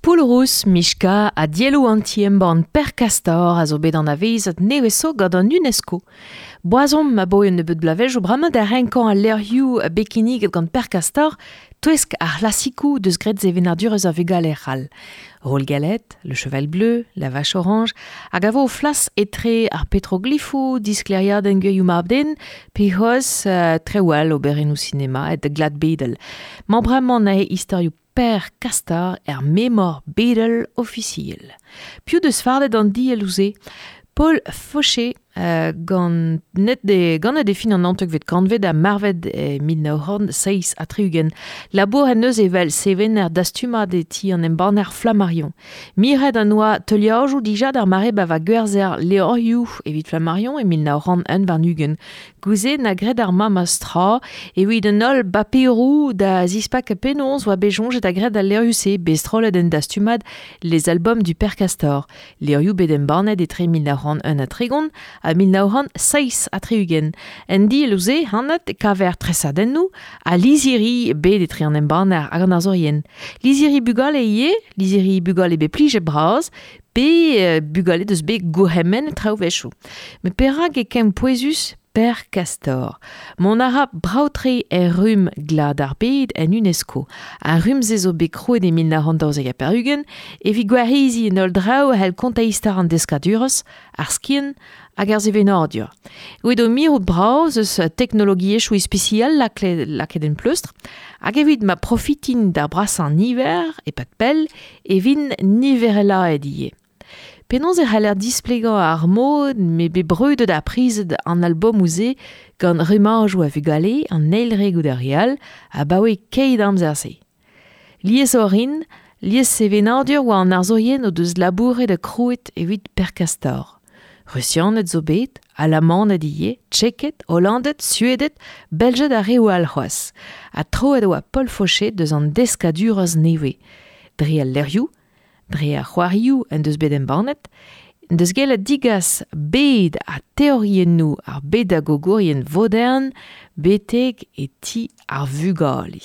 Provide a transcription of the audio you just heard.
Poulourous, Michka ha dielloù an ti-embann Per Castor a zo bet anavezet nevez zo gant an UNESCO. Boazomp abaoe un nebeud bloavezhioù bremañ da renkañ al levrioù bet kinniget gant Per Castor touesk ar c'hlasikoù deus graet sevenadurezh ar vugale c'hall. Roll Galette, Le Cheval Bleu, La Vache Orange, hag a vo o flas etre ar petroglifoù, diskleriadenn gwirioù mab-den, pe c'hoazh traoù all oberennoù sinema et glad bedel. Mañ bremañ neuze istorioù Per Castor er memor bedel ofisiel. Piv deus fardet an dielloù-se? Paul Fauché gant net de, ganet e fin an naontekvet kantved ha marvet e 1967. Labour en deus evel sevener dastumad e ti an embanner Flammarion. Miret an oa teuliajoù dija d'ar mare ba va gwerzher levrioù evit Flammarion e 1921. Gouze na graet ar memes tra evit an holl baperoù da zispakañ penaos oa bet soñjet ha graet al levrioù-se bet strollet en dastumad Les albums du Père Castor. Levrioù bet embannet etre 1931 ha 1967. En dielloù-se, anat, e kaver tresadennoù ha lizhiri bet etre an embanner hag an arzourien. Lizhiri bugale ivez, lizhiri bugale bet plijet bras, pe bugale deus bet gourc'hemennet traoù wechoù. Met perak e kemm pouezus Per Castor? Mont a ra brav-tre er rumm Glad ar bed en UNESCO. Ar rumm-se zo bet krouet e 1992 evit gwareziñ an holl draoù a c'hell kontañ istor an deskadurezh, ar skiant hag ar sevenadur. Evit o mirout brav ez eus teknologiezhioù ispisial lakaet en pleustr hag evit ma profitint d'ar brasañ niver e-pad pell e vint niverelaet ivez. Penaos e c'haller displegañ ar mod m'eo bet brudet ha prizet an albomoù-se gant rummajoù a vugale an eil re goude ar re all abaoe keit amzer-se? Lies orin, lies sevenadur oa an arzourien o deus labouret ha krouet evit Per Castor. Rusianed zo bet, Alamaned ivez, Tcheked, Hollanded, Sueded, Beljed ha reoù all c'hoazh. Ha troet e oa Paul Fauché deus an deskadurezh nevez. Dre al levrioù, Dre ar c'hoarioù en deus bet embannet, en deus gellet degas bed ha teoriennoù ar bedagogourien vodern betek e ti ar vugale.